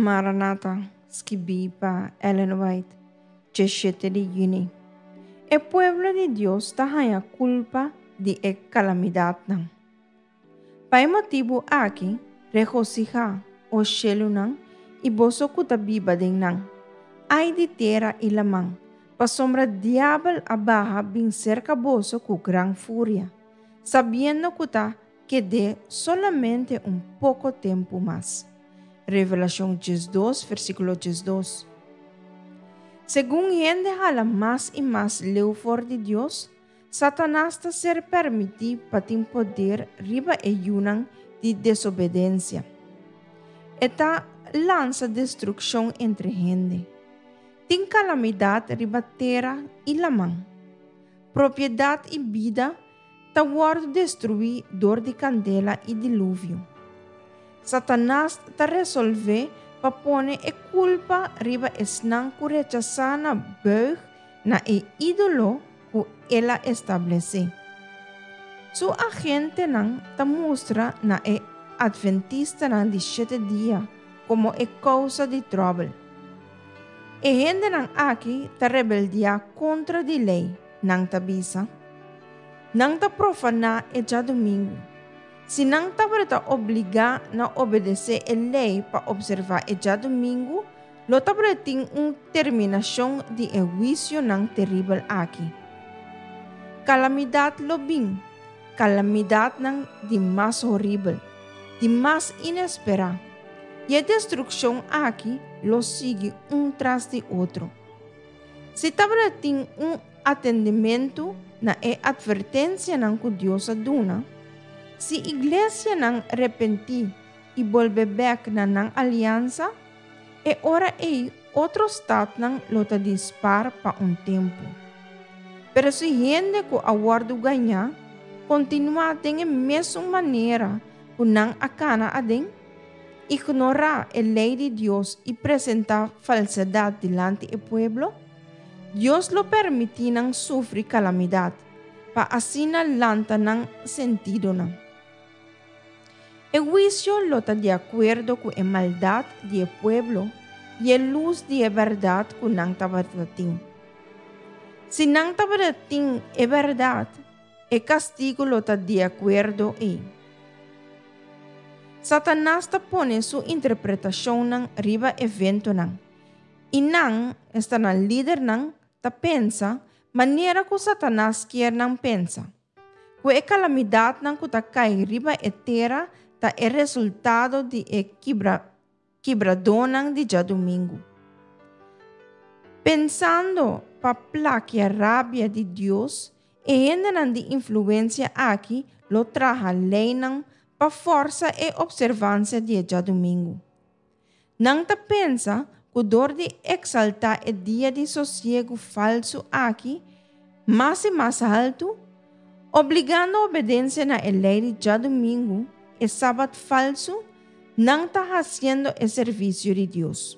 Maranata, skibí pa Ellen White, 17 di yüni. E pueblo di Dios ta haña kulpa di e kalamidatnan. Pa e motibu aki, regosihá, o shelunan, i boso ku ta biba den nan. Ai di tera i laman, pasobra diabel a baha bin serka boso ku gran furia, sabiendo ku ta ked'é solamente un poko tempu mas. Revelashon 12, versíkulo 12. Segun hende hala mas i mas leu for di Dios, Satanas ta ser permití pa tin poder riba e yunan di desobedensia. E ta lansa destrukshon entre hende. Tin kalamidat riba tera i laman. Propiedat i bida ta wòrdu destruí dor di kandela i diluvio. Satanas ta resolvé pa pone e kulpa riba esnan ku rechasá na buig na e ídolo ku el a establesé. Su agentenan ta mustra na e Atventistanan di shete dia komo e kousa di tròbel. E hendenan aki ta rebeldiá kontra di lei, nan ta bisa. Nan ta profaná e djadumingu. Si nan tabata obligá na obedesé e lei pa opservá e djadumingu, Lo tabatin un terminashon di e huisionan teribel aki. Kalamidat lo bin, kalamidatnan di mas horibel, di mas inesperá, i e destrukshon aki lo sigui un tras di otro. Si tabatin un atendimentu na e atvertensianan ku Dios a duna, si iglesianan repentí i bolbe bèk na nan aliansa, E ora ei otro statnan lo ta di spar pa un tempu. Pero si hende ku a wòrdu gañá kontinuá den e mesun manera ku nan a kana aden, ignorá e lei di Dios i presentá falsedat dilanti e pueblo, Dios lo permití nan sufri kalamidat, pa asina lanta nan sentidonan. E huisio lo ta di akuerdo ku e maldat di e pueblo i e lus di e bèrdat ku nan tabata tin. Si nan tabata tin e bèrdat, e kastigu lo ta di akuerdo ei. Satanas ta pone su interpretashonnan riba eventonan, i nan, esta nan lidernan, ta pensa manera ku Satanas kier nan pensa. Ku e kalamidatnan ku ta kai riba e tera ta e resultado di e kibra kibradónan di djadumingu. Pensando pa plakia rabia di Dios, e hendenan di influensia aki lo traha leinan pa fòrsa e opservansia di e djadumingu. Nan ta pensa ku dor di eksaltá e dia di sosiegu falsu aki mas i mas haltu, obligando obedensia na e lei di djadumingu, e sabat falsu, nan ta hasiendo e servisio di Dios.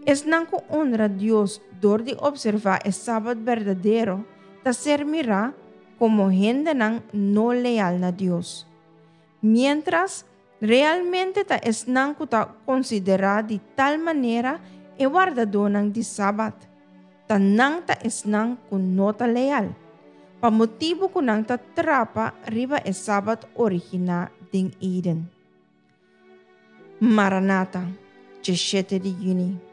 Esnan ku onra Dios dor di opservá e sabat berdadero ta ser mirá komo hendenan no leal na Dios. Miéntras, realmente ta esnan ku ta konsiderá di tal manera e wardadónan di Sabat, ta nan ta esnan ku no ta leal, pa motibu ku nan ta trapa riba e Sabat originá den Eden. Maranata, 17 di yüni.